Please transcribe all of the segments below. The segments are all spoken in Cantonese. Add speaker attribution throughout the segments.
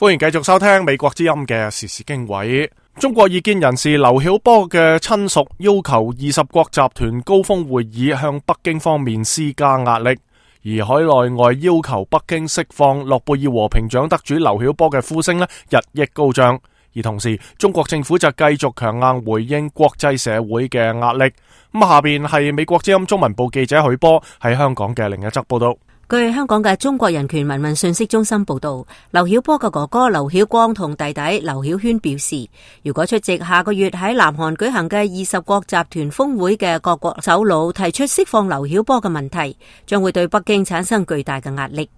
Speaker 1: 歡迎繼續收聽美國之音嘅時事經緯。中國異見人士劉曉波嘅親屬要求20國集團高峰會議向北京方面施加壓力，而海內外要求北京釋放諾貝爾和平獎得主劉曉波嘅呼聲日益高漲。而同時，中國政府就繼續強硬回應國際社會嘅壓力。下邊係美國之音中文部記者許波喺香港嘅另一則報道。
Speaker 2: 據香港嘅中國人權民運信息中心報道，劉曉波嘅哥哥劉曉光同弟弟劉曉軒表示，如果出席下個月喺南韓舉行嘅20國集團峰會嘅各國首腦提出釋放劉曉波嘅問題，將會對北京產生巨大嘅壓力。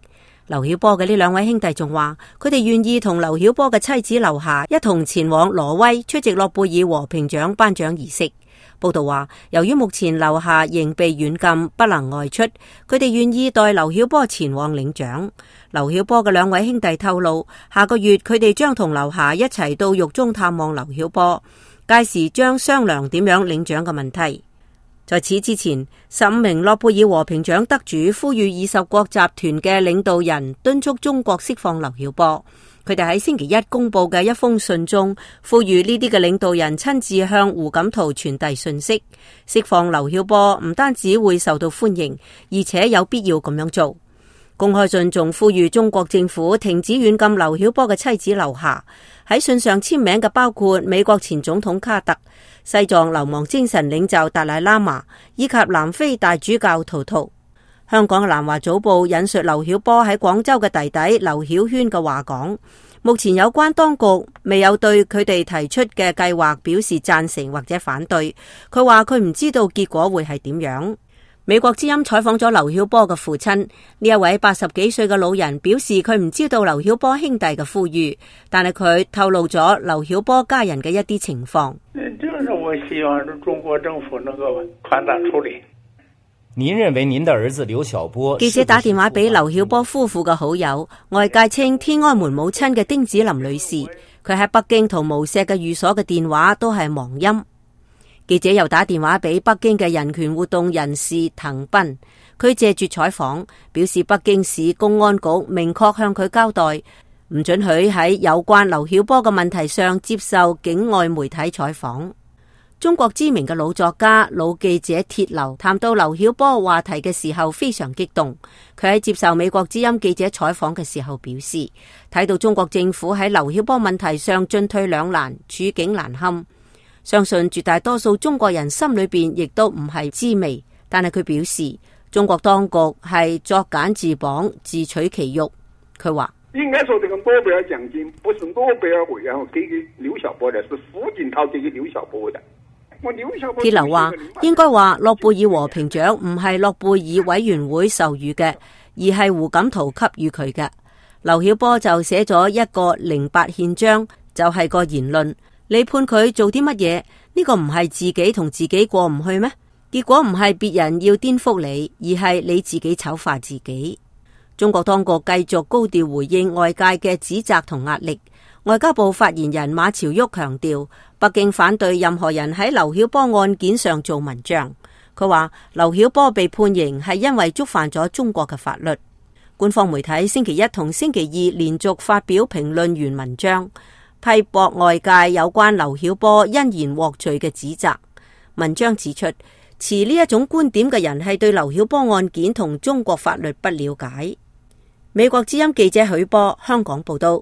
Speaker 2: 劉曉波嘅呢兩位兄弟仲話，佢哋願意同劉曉波嘅妻子劉霞一同前往挪威出席諾貝爾和平獎頒獎儀式。報道話，由於目前劉霞仍被軟禁，不能外出，佢哋願意代劉曉波前往領獎。劉曉波嘅兩位兄弟透露，下個月佢哋將同劉霞一齊到獄中探望劉曉波，屆時將商量點樣領獎嘅問題。在此之前，15名諾貝爾和平獎得主呼籲20國集團嘅領導人敦促中國釋放劉曉波。佢哋喺星期一公布嘅一封信中，呼籲呢啲嘅領導人親自向胡錦濤傳遞訊息，釋放劉曉波唔單止會受到歡迎，而且有必要咁樣做。公開信仲呼籲中國政府停止軟禁劉曉波嘅妻子劉霞。喺信上簽名嘅包括美國前總統卡特、西藏流亡精神領袖達賴喇嘛以及南非大主教圖圖。香港嘅南華早報引述劉曉波喺廣州嘅弟弟劉曉軒嘅話講，目前有關當局未有對佢哋提出嘅計劃表示贊成或者反對。佢話佢唔知道結果會係點樣。美國之音採訪咗劉曉波嘅父親，呢一位80幾歲嘅老人表示佢唔知道劉曉波兄弟嘅呼籲，但係佢透露咗劉曉波家人嘅一啲情況。
Speaker 3: 就是我希望中國政府能夠寬大處理。
Speaker 4: 您認為您的兒子劉曉波？
Speaker 2: 記者打電話俾劉曉波夫婦嘅好友，外界稱天安門母親嘅丁子霖女士，佢喺北京同無錫嘅寓所嘅電話都係忙音。記者又打電話俾北京嘅人權活動人士滕斌，佢謝絕採訪，表示北京市公安局明確向佢交代，唔准許喺有關劉曉波嘅問題上接受境外媒體採訪。中國知名嘅老作家、老記者鐵流談到劉曉波話題嘅時候非常激動，佢喺接受美國之音記者採訪嘅時候表示，睇到中國政府喺劉曉波問題上進退兩難，處境難堪。相信絕大多數中國人心裏邊亦都唔係滋味，但係佢表示中國當局係作繭自綁，自取其辱。佢話
Speaker 3: 應該說這個諾貝爾獎金不是諾貝爾委員會給劉曉波的，是胡錦濤給劉曉波的。
Speaker 2: 鐵流話應該話諾貝爾和平獎唔係諾貝爾委員會授予嘅，而係胡錦濤給予佢嘅。劉曉波就寫咗一個08憲章，就係個言論。你判佢做啲乜嘢？呢個唔係自己同自己過唔去咩？結果唔係別人要顛覆你，而係你自己醜化自己。中國當局繼續高調回應外界嘅指責同壓力。外交部發言人馬朝旭強調，北京反對任何人喺劉曉波案件上做文章。佢話劉曉波被判刑係因為觸犯咗中國嘅法律。官方媒體星期一同星期二連續發表評論員文章，批駁外界有關劉曉波因言獲罪嘅指責。文章指出，持呢一種觀點嘅人係對劉曉波案件同中國法律不了解。美國之音記者許波香港報道。